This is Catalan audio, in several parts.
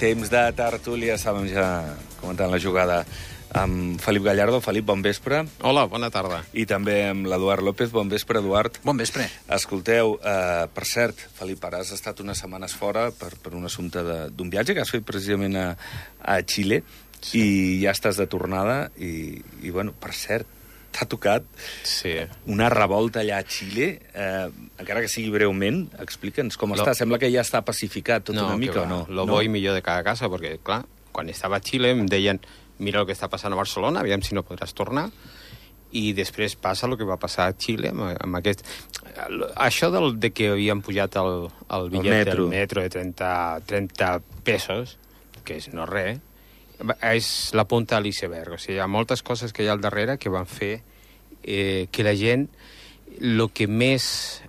Temps de tertúlia, estàvem ja comentant la jugada amb Felip Gallardo. Felip, bon vespre. Hola, bona tarda. I també amb l'Eduard López. Bon vespre, Eduard. Bon vespre. Escolteu, per cert, Felip, ara has estat unes setmanes fora per un assumpte d'un viatge que has fet precisament a Xile, sí. I ja estàs de tornada i bueno, per cert, t'ha tocat una revolta allà a Xile, encara que sigui breument. Explica'ns com està. Sembla que ja està pacificat tot una mica, o no? Lo bo i millor de cada casa, perquè, clar, quan estava a Xile em deien mira el que està passant a Barcelona, aviam si no podràs tornar, i després passa el que va passar a Xile amb aquest... Això de que havien pujat el bitllet del metro de 30 pesos, que és no res, és la punta de l'iceberg. O sigui, hi ha moltes coses que hi ha al darrere que van fer que la gent... El que més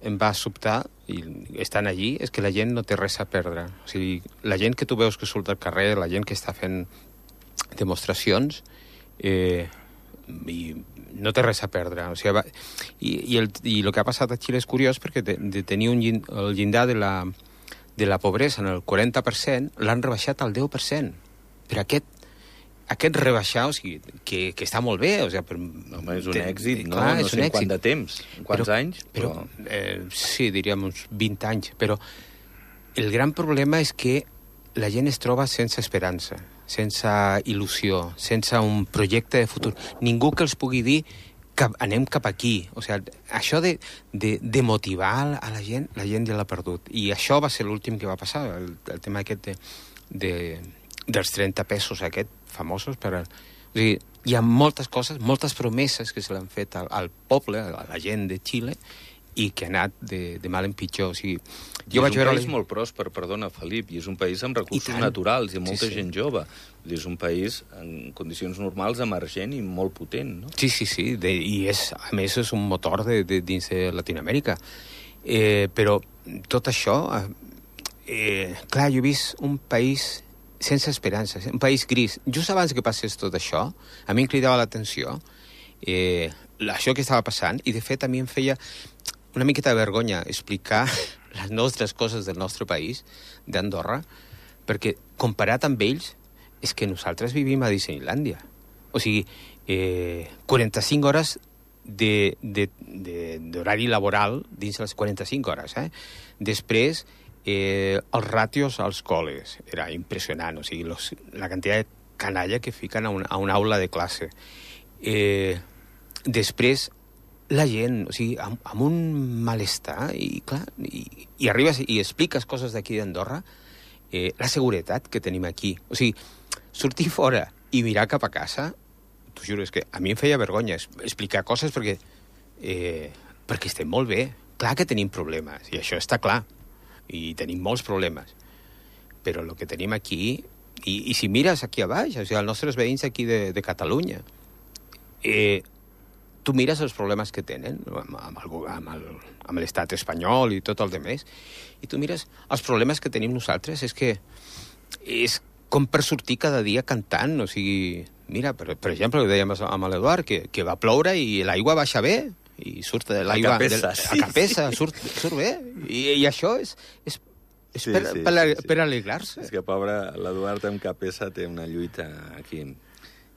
em va sobtar, i estan allí, és que la gent no té res a perdre. O sigui, la gent que tu veus que surt al carrer, la gent que està fent demostracions, i no té res a perdre. O sigui, i el que ha passat a Xile és curiós perquè de tenir el llindar de la pobresa en el 40%, l'han rebaixat al 10%. Per aquest rebaixar, o sigui, que està molt bé. O sigui, home, és un èxit, no? Clar, no sé en quant de temps, en quants anys. Però sí, diríem uns 20 anys. Però el gran problema és que la gent es troba sense esperança, sense il·lusió, sense un projecte de futur. Ningú que els pugui dir que anem cap aquí. O sigui, això de motivar a la gent ja l'ha perdut. I això va ser l'últim que va passar, el tema aquest dels 30 pesos famosos. O sigui, hi ha moltes coses, moltes promeses que se l'han fet al poble, a la gent de Xile, i que ha anat de mal en pitjor. O sigui, jo vaig veure... És un país molt pròsper, perdona, Felip, i és un país amb recursos naturals i molta gent jove. És un país en condicions normals emergent i molt potent, no? Sí. I a més és un motor dins de Latinoamèrica. Però tot això... clar, jo he vist un país sense esperança, un país gris. Just abans que passés tot això, a mi em cridava l'atenció això que estava passant, i de fet a mi em feia una miqueta de vergonya explicar les nostres coses del nostre país, d'Andorra, perquè comparat amb ells és que nosaltres vivim a Disneylàndia. O sigui, 45 hores d'horari laboral dins les 45 hores. Després, els ràtios als col·les era impressionant. O sigui, la quantitat de canalla que fiquen a una aula de classe. Després, la gent, o sigui, amb un malestar, i clar, i arribes i expliques coses d'aquí d'Andorra, la seguretat que tenim aquí. O sigui, sortir fora i mirar cap a casa, t'ho juro, és que a mi em feia vergonya explicar coses perquè estem molt bé. Clar que tenim problemes, i això està clar, i tenim molts problemes. Però el que tenim aquí, i si mires aquí a baix, o sigui, els nostres veïns aquí de Catalunya, tu mires els problemes que tenen amb l'estat espanyol i tot el demés, i tu mires els problemes que tenim nosaltres, és com per sortir cada dia cantant. O sigui, mira, per exemple, ho dèiem amb l'Eduard, que va ploure i l'aigua baixa bé, i surt l'aigua a capessa, surt bé, i això és per alegrar-se. És que, pobre, l'Eduard amb capessa té una lluita aquí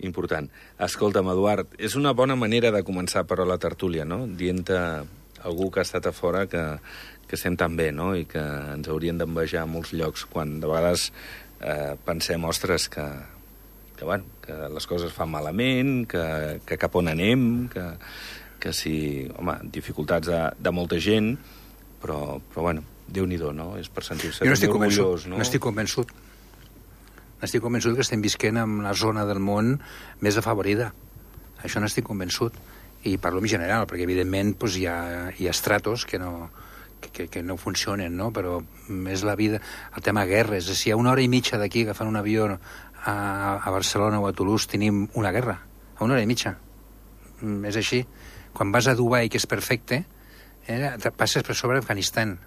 important. Escolta'm, Eduard, és una bona manera de començar, però, la tertúlia, no? Dient-te algú que ha estat a fora que estem tan bé, no? I que ens haurien d'envejar a molts llocs, quan de vegades pensem, ostres, que les coses fan malament, que cap on anem, que sí, home, dificultats de molta gent, però bueno, Déu-n'hi-do, no? És per sentir-se orgullós, no? No estic convençut. Estic convençut que estem visquent en la zona del món més afavorida. Això n'estic convençut. I parlo en general, perquè evidentment doncs, hi ha estratos que no funcionen, no? Però és la vida, el tema guerres. Si a 1 hora i mitja d'aquí agafant un avió a Barcelona o a Toulouse tenim una guerra, a 1 hora i mitja. És així. Quan vas a Dubai, que és perfecte, passes per sobre Afganistan.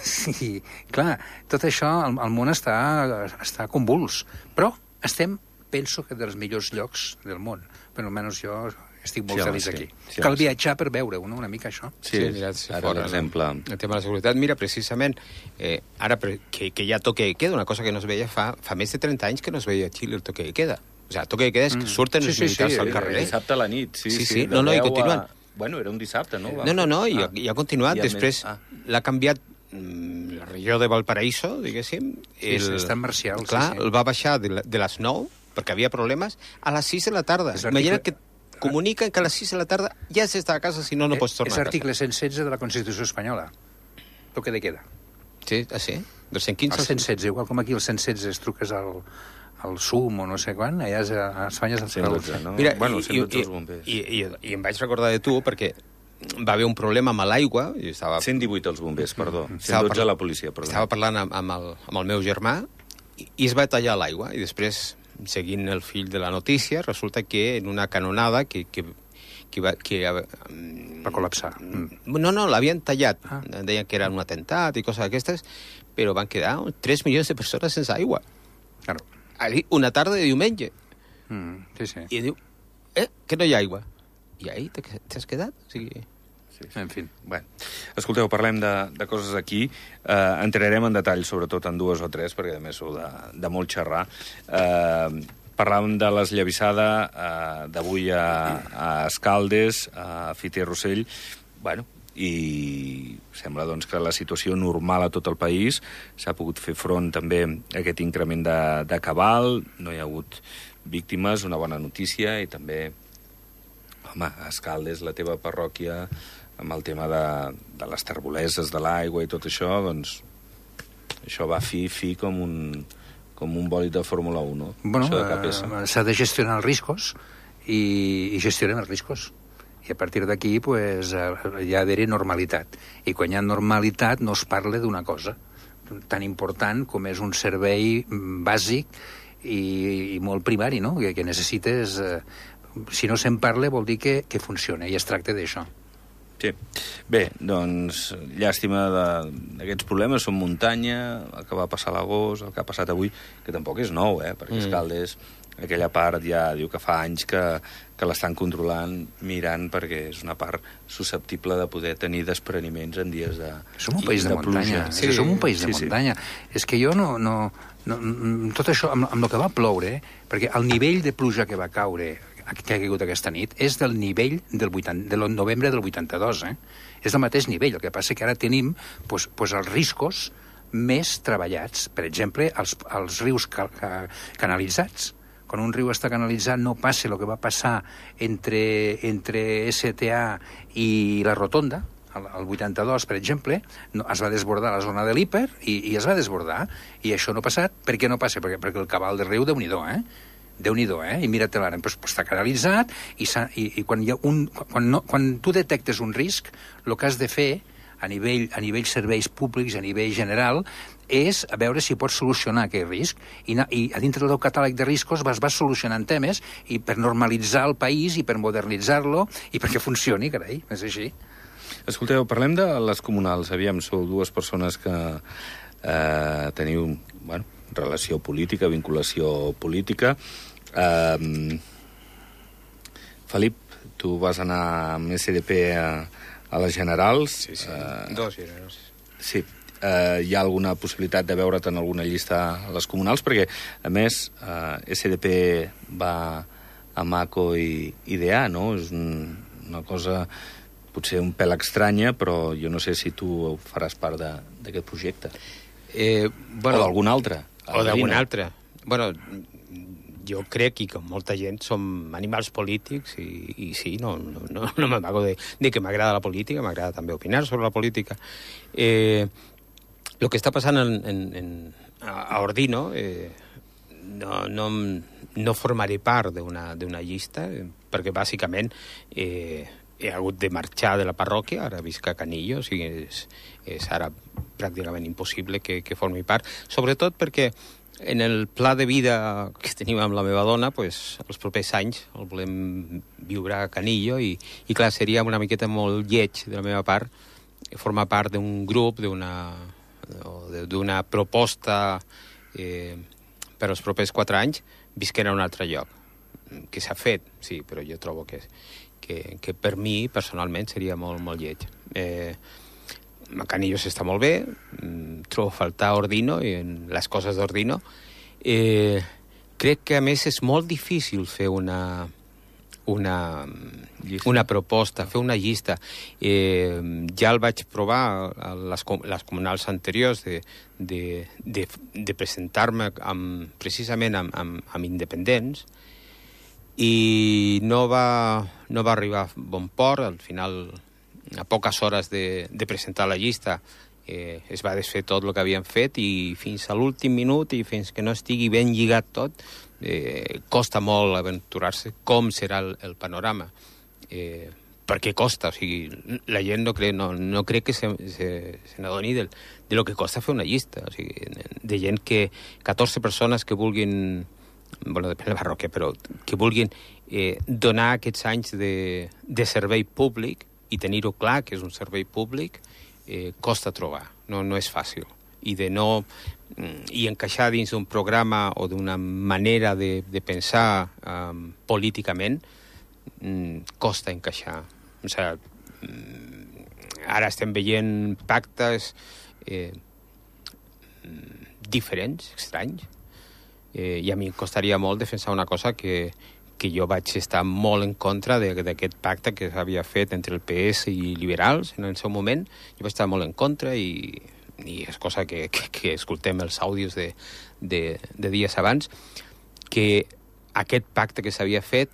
Sí, clar, tot això, el món està convuls, però estem, penso que dels millors llocs del món, però almenys jo estic molt feliç aquí. Sí, Cal viatjar per veure-ho, no? Una mica això. Sí, mirat si ara fora, l'exemple... El tema de la seguretat. Mira, precisament, ara que ja toque de queda, una cosa que no es veia fa més de 30 anys que no es veia a Xile el toque de queda. O sigui, el toque de queda és que surten els militars al carrer. Dissabte a la nit, sí. No, i continuen. Bueno, era un dissabte, no? No, i ha continuat. Després l'ha canviat la regió de Valparaíso, diguéssim. Està marcial. Clar, el va baixar de les 9, perquè havia problemes, a les 6 de la tarda. Imagina't que comuniquen que a les 6 de la tarda ja s'està a casa, si no, no pots tornar a casa. És l'article 116 de la Constitució espanyola. Toque de queda. Sí, sí? Del 115 al 116, igual com aquí el 116 es truques al SUM o no sé quan, allà a Espanya és el 112, no? Mira, bueno, 112 els bombers. I em vaig recordar de tu perquè va haver un problema amb l'aigua. 118 els bombers, perdó. 112 la policia, perdó. Estava parlant amb el meu germà i es va tallar l'aigua. I després, seguint el fil de la notícia, resulta que en una canonada que va col·lapsar. No, l'havien tallat. Deien que era un atemptat i coses d'aquestes, però van quedar 3 milions de persones sense aigua. Claro. Una tarda de diumenge. Sí. I diu, que no hi ha aigua. I ahí t'has quedat? O sigui... Sí. En fi. Bueno, escolteu, parlem de coses aquí. Entrarem en detall, sobretot en 2 o 3, perquè a més sou de molt xerrar. Parlàvem de l'esllavissada d'avui a Escaldes, a Fiter Rossell. Bueno, i sembla doncs, que la situació normal a tot el país s'ha pogut fer front també a aquest increment de cabal, no hi ha hagut víctimes, una bona notícia, i també, home, a Escaldes, la teva parròquia, amb el tema de les terboleses de l'aigua i tot això, doncs això va fi com un bòlid de Fórmula 1, no? Bueno, s'ha de gestionar els riscos i gestionem els riscos. I a partir d'aquí pues, hi ha d'haver normalitat. I quan hi ha normalitat no es parla d'una cosa tan important com és un servei bàsic i molt primari, no? Que necessites... si no se'n parla vol dir que funciona, i es tracta d'això. Sí. Bé, doncs, llàstima d'aquests problemes. Són muntanya, el que va passar a l'agost, el que ha passat avui, que tampoc és nou, perquè Escaldes, aquella part ja diu que fa anys que l'estan controlant, mirant, perquè és una part susceptible de poder tenir despreniments en dies de pluja. Som un país de muntanya. Sí. Som un país de muntanya. És que jo no tot això, amb el que va ploure, perquè el nivell de pluja que va caure, que ha caigut aquesta nit, és del nivell del novembre del 82, És del mateix nivell. El que passa que ara tenim els riscos més treballats. Per exemple, els rius canalitzats. Quan un riu està canalitzat no passa el que va passar entre STA i la Rotonda, el 82, per exemple, es va desbordar la zona de l'Hiper i es va desbordar. I això no ha passat. Per què no passa? Perquè el cabal del riu, Déu-n'hi-do, Déu-n'hi-do, i mira-te-la, està canalitzat i quan tu detectes un risc, el que has de fer a nivell serveis públics, a nivell general, és a veure si pots solucionar aquest risc. I a dintre del teu catàleg de riscos vas solucionant temes i per normalitzar el país i per modernitzar-lo i perquè funcioni, carai, és així. Escolteu, parlem de les comunals. Aviam, sou 2 persones que teniu, relació política, vinculació política. Felip, tu vas anar amb SDP a les generals. Sí. 2 generals. Sí. Hi ha alguna possibilitat de veure't en alguna llista a les comunals? Perquè, a més, SDP va a Maco i DA, no? És una cosa potser un pèl estranya, però jo no sé si tu faràs part d'aquest projecte. O d'algun altre. O d'algun altre. Bueno, jo crec que com molta gent som animals polítics i sí, no m'amago de que m'agrada la política, m'agrada també opinar sobre la política. El que està passant a Ordino no formaré part d'una llista perquè bàsicament he hagut de marxar de la parròquia, ara visc a Canillo, o sigui, és ara pràcticament impossible que formi part, sobretot perquè en el pla de vida que tenim amb la meva dona, pues, els propers anys el volem viure a Canillo i clar, seria una miqueta molt lleig de la meva part formar part d'un grup, d'una proposta per als propers 4 anys visquent a un altre lloc, que s'ha fet, sí, però jo trobo que que per mi, personalment, seria molt, molt lleig. Canillos està molt bé, trobo a faltar Ordino i les coses d'Ordino. Crec que, a més, és molt difícil fer una proposta, fer una llista. Ja el vaig provar a les comunals anteriors de presentar-me precisament amb independents, i no va arribar a bon port. Al final, a poques hores de presentar la llista, es va desfer tot el que havien fet, i fins a l'últim minut, i fins que no estigui ben lligat tot, costa molt aventurar-se com serà el panorama. Perquè costa, o sigui, la gent no crec que se n'adoni de lo que costa fer una llista, o sigui, de gent que 14 persones que vulguin, bueno, depèn de la parròquia, però que vulguin donar aquests anys de servei públic i tenir-ho clar que és un servei públic, costa trobar, no és fàcil. I encaixar dins d'un programa o d'una manera de pensar políticament, costa encaixar. O sigui, ara estem veient pactes diferents, estranys, i a mi em costaria molt defensar una cosa que jo vaig estar molt en contra d'aquest pacte que s'havia fet entre el PS i liberals en el seu moment. Jo vaig estar molt en contra, i és cosa que escoltem els àudios de dies abans, que aquest pacte que s'havia fet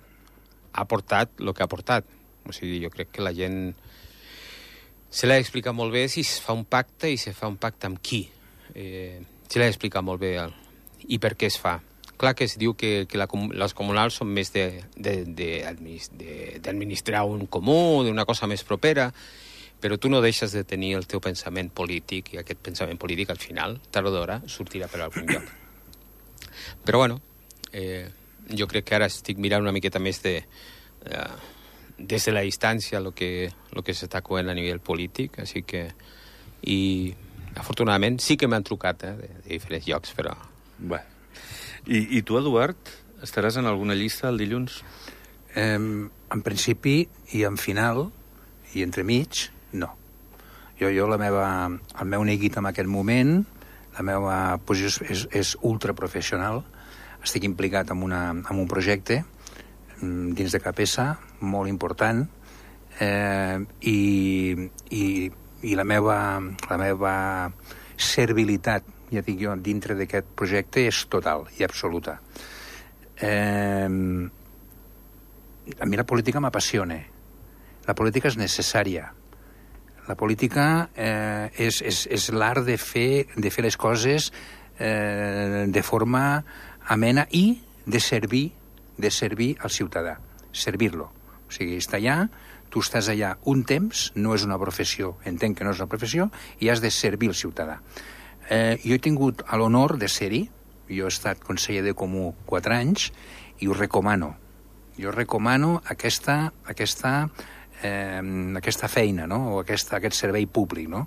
ha portat el que ha portat. O sigui, jo crec que la gent se l'ha d'explicar molt bé si es fa un pacte, i se fa un pacte amb qui. Se l'ha d'explicar molt bé i per què es fa. Clar que es diu que les comunals són més d'administrar un comú, d'una cosa més propera, però tu no deixes de tenir el teu pensament polític, i aquest pensament polític al final, tard o d'hora, sortirà per algun lloc. Però bueno, jo crec que ara estic mirant una miqueta més des de la distància el que s'està coent a nivell polític, així que, i afortunadament sí que m'han trucat de diferents llocs, però... Bé. I tu, Eduard, estaràs en alguna llista el dilluns? En principi i en final, i entremig, no. Jo el meu neguit en aquest moment, la meva posició és ultraprofessional. Estic implicat en un projecte dins de Capesa, molt important, i la meva servilitat, ja dic jo, dintre d'aquest projecte és total i absoluta. A mi la política m'apassiona. La política és necessària. La política és l'art de fer les coses de forma amena i de servir al ciutadà, servir-lo. O sigui, està allà, tu estàs allà un temps, no és una professió, entenc que no és una professió, i has de servir al ciutadà. Jo he tingut l'honor de ser-hi, jo he estat conseller de Comú 4 anys, i ho recomano. Jo recomano aquesta feina, no? O aquest servei públic, no?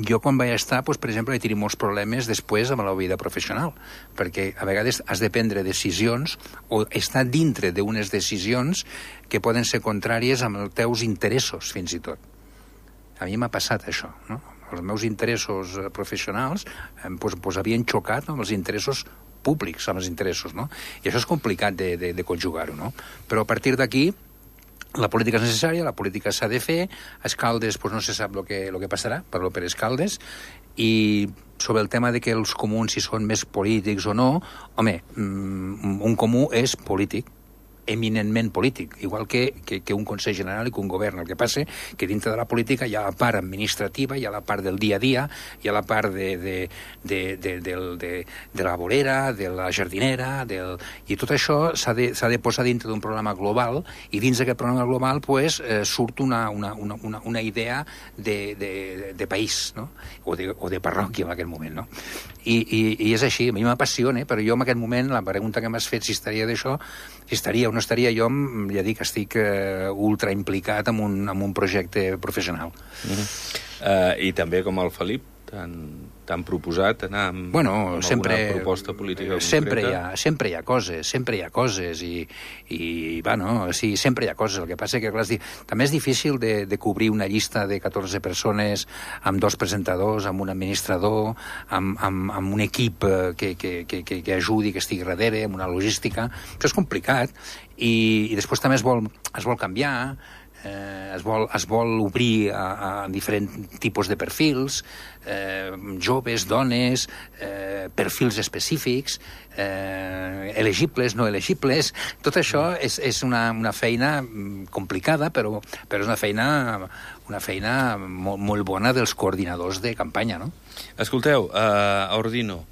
Jo quan vaig estar, per exemple, he tingut molts problemes després amb la vida professional, perquè a vegades has de prendre decisions o estar dintre d'unes decisions que poden ser contràries amb els teus interessos, fins i tot. A mi m'ha passat això, no? Els meus interessos professionals havien xocat amb els interessos públics, amb els interessos, no? I això és complicat de conjugar-ho, no? Però a partir d'aquí, la política és necessària, la política s'ha de fer, a Escaldes no se sap el que passarà, parlo per Escaldes, i sobre el tema de que els comuns si són més polítics o no, home, un comú és polític, eminentment polític, igual que un Consell General i que un govern. El que passa que dintre de la política hi ha la part administrativa, hi ha la part del dia a dia, hi ha la part de la vorera, de la jardinera, i tot això s'ha de posar dintre d'un programa global, i dins d'aquest programa global surt una idea de país, no? o de parròquia en aquest moment, no? I és així, a mi m'apassiona, però jo en aquest moment, la pregunta que m'has fet si estaria d'això, si estaria o no estaria, jo ja dic que estic ultra implicat en un projecte professional. I també, com el Felip, T'han proposat anar amb alguna proposta política concreta? Sempre hi ha coses, i bueno, sí, sempre hi ha coses. El que passa que, clar, també és difícil de cobrir una llista de 14 persones amb 2 presentadors, amb un administrador, amb un equip que ajudi, que estigui darrere, amb una logística. Això és complicat, i després també es vol canviar, es vol obrir a diferents tipus de perfils, joves, dones, perfils específics, elegibles, no elegibles. Tot això és una feina complicada, però és una feina molt bona dels coordinadors de campanya, no? Escolteu, Ordino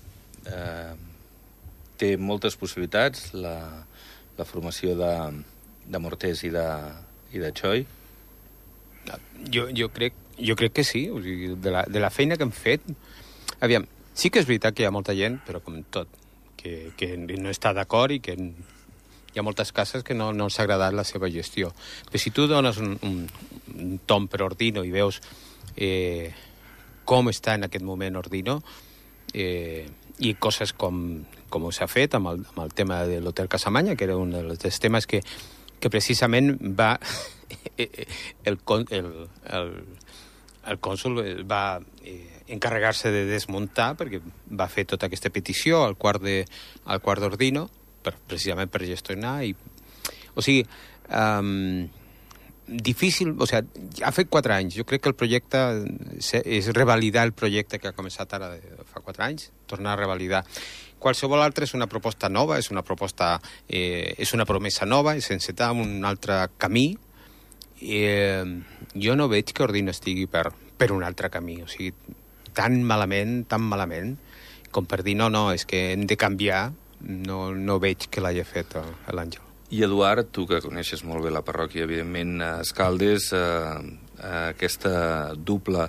té moltes possibilitats, la formació de Mortés i de Choi? Jo crec que sí. O sigui, de la feina que hem fet... Aviam, sí que és veritat que hi ha molta gent, però com tot, que no està d'acord i que hi ha moltes cases que no els ha agradat la seva gestió. Però si tu dones un tom per Ordino i veus com està en aquest moment Ordino, i coses com s'ha fet amb el tema de l'Hotel Casamanya, que era un dels temes que precisament va el cònsol va encarregar-se de desmuntar, perquè va fer tota aquesta petició al quart d'Ordino, precisament per gestionar. O sigui, difícil... O sigui, ha fet 4 anys. Jo crec que el projecte és revalidar el projecte que ha començat ara fa 4 anys, tornar a revalidar. Qualsevol altre és una proposta nova, és una promesa nova, és encetar un altre camí. Jo no veig que Ordino estigui per un altre camí. O sigui, tan malament, com per dir no, és que hem de canviar, no veig que l'hagi fet l'Àngel. I Eduard, tu que coneixes molt bé la parròquia, evidentment, a Escaldes, aquesta dupla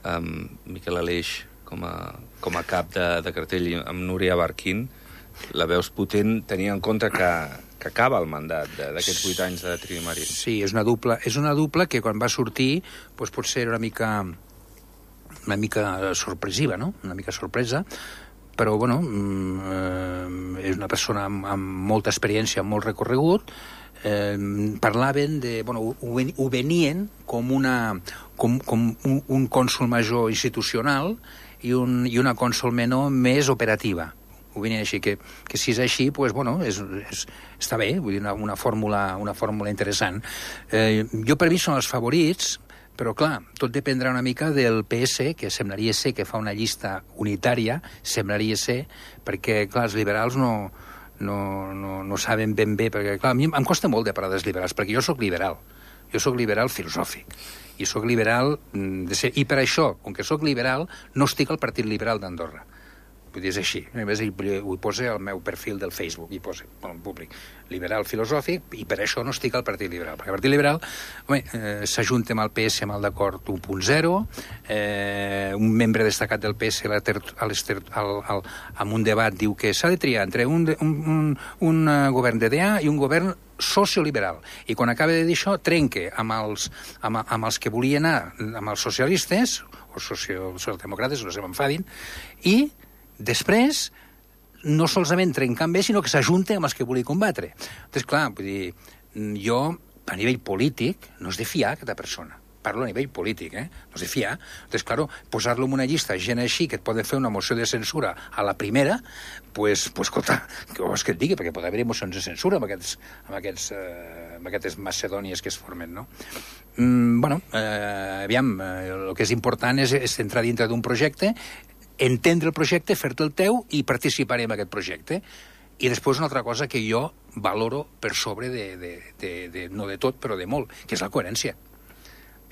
amb Miquel Aleix com a cap de cartell amb Núria Barquín, la veus potent, tenint en compte que acaba el mandat d'aquests 8 anys de Trini Marín. Sí, és una dupla que quan va sortir doncs potser era una mica sorpresiva, no? Una mica sorpresa, però bueno, és una persona amb molta experiència, amb molt recorregut. Parlaven de... Bueno, ho venien com un cònsol major institucional i una cònsol menor més operativa. Ho venien així, que si és així, pues, bueno, està bé, vull dir, una fórmula interessant. Jo, per mi, són els favorits, però, clar, tot dependrà una mica del PS, que semblaria ser que fa una llista unitària, perquè, clar, els liberals no saben ben bé, perquè, clar, a mi em costa molt de parlar dels liberals, perquè jo sóc liberal filosòfic, i sóc liberal i per això, com que sóc liberal, no estic al Partit Liberal d'Andorra. Vull dir, és així. A més, ho posa al meu perfil del Facebook, hi posa, en públic, liberal filosòfic, i per això no estic al Partit Liberal. Perquè el Partit Liberal, s'ajunta amb el PS amb el d'acord 1.0, un membre destacat del PS en un debat diu que s'ha de triar entre un govern d'EDA i un govern socioliberal. I quan acaba de dir això, trenca amb els que volien anar, amb els socialistes, o socialdemòcrates, no se m'enfadin, i després, no solament trencar amb ells, sinó que s'ajunta amb els que volia combatre. Entonces, clar, vull dir, jo, a nivell polític, no és de fiar aquesta persona. Parlo a nivell polític, no és de fiar. Entonces, claro, posar-lo en una llista gent així que et poden fer una moció de censura a la primera, pues escolta, què vols que et digui? Perquè pot haver mocions de censura amb aquestes macedònies que es formen, no? Bueno, aviam, el que és important és entrar dintre d'un projecte, entendre el projecte, fer-te el teu i participar en aquest projecte. I després una altra cosa que jo valoro per sobre no de tot, però de molt, que és la coherència.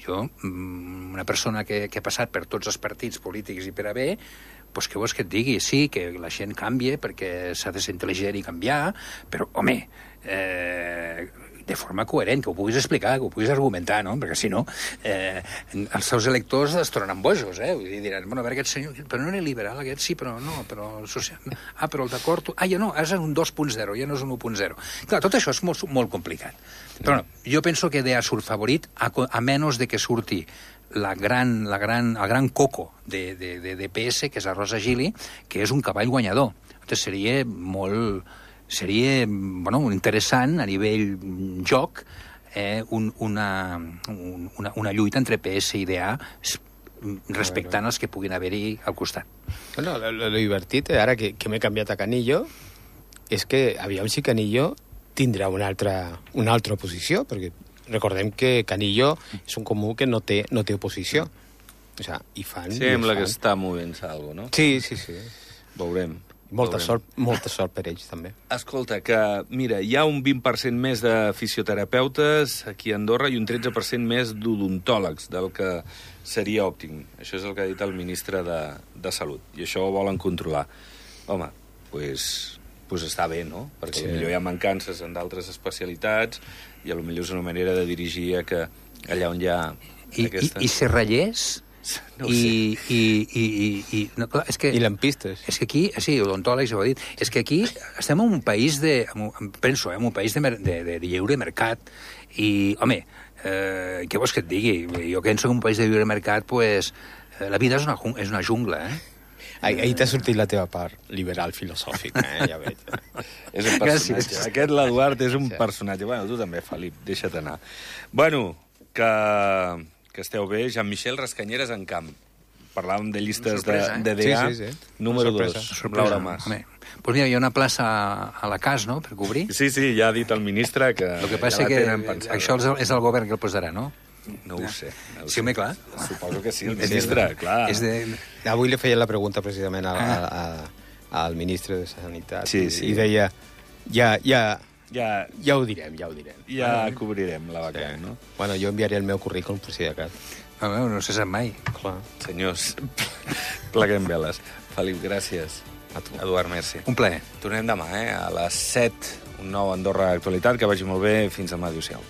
Jo, una persona que ha passat per tots els partits polítics i per a bé, doncs què vols que et digui? Sí, que la gent canvia perquè s'ha de ser intel·ligent i canviar, però, home, de forma coherent, que ho puguis explicar, que ho puguis argumentar, no? Perquè si no, els seus electors es tornen bojos, Vull dir, diran, bueno, a veure, aquest senyor, però no era liberal, aquest sí, però no, però social... però el d'acord... ja no, és un 2.0, ja no és un 1.0. Clar, tot això és molt complicat. Però no, jo penso que DEA surt favorit, a menys de que surti el gran coco de PS, que és la Rosa Gili, que és un cavall guanyador. Llavors seria interessant a nivell joc una lluita entre PS i DA respectant els que puguin haver-hi al costat. Bueno, lo divertit, ara que m'he canviat a Canillo, és que aviam si Canillo tindrà una altra oposició, perquè recordem que Canillo és un comú que no té oposició. O sea, i fan... Sembla que està movent-se alguna cosa, no? Sí. Veurem. Molta sort per ells, també. Escolta, que, mira, hi ha un 20% més de fisioterapeutes aquí a Andorra i un 13% més d'odontòlegs, del que seria òptim. Això és el que ha dit el ministre de Salut, i això ho volen controlar. Home, pues està bé, no? Perquè potser hi ha mancances en d'altres especialitats i potser és una manera de dirigir a que allà on hi ha aquesta... I Serrallers... No ho sé. No, clar, és que, I lampistes. És que aquí, sí, odontòlegs, ho he dit, és que aquí estem en un país penso, en un país de lliure mercat, i, home, què vols que et digui? Jo que en soc un país de lliure mercat, pues, la vida és una jungla, Ahir t'ha sortit la teva part liberal filosòfica, ja veig. És un personatge. Gràcies. Aquest, l'Eduard, és un personatge. Bueno, tu també, Felip, deixa't anar. Bueno, que esteu bé. Jean-Michel Rascanyeres en camp. Parlàvem de llistes de DA. Sí. Número 2, Laura Mas. Pues mira, hi ha una plaça a la CAS, no?, per cobrir. Sí, ja ha dit el ministre que... El que passa que això és el govern que el posarà, no? No ho sé. Sí, home, clar. Suposo que sí, el ministre, clar. Avui li feia la pregunta precisament al ministre de Sanitat. Sí. I deia, ja ho direm. Ja cobrirem la vacant, no? Bueno, jo enviaré el meu currículum per si de cas. No se sap mai. Clar. Senyors, pleguem veles. Felip, gràcies. A tu. Eduard, merci. Un plaer. Tornem demà, a les 7, un nou Andorra Actualitat. Que vagi molt bé. Fins demà. Adéu-siau.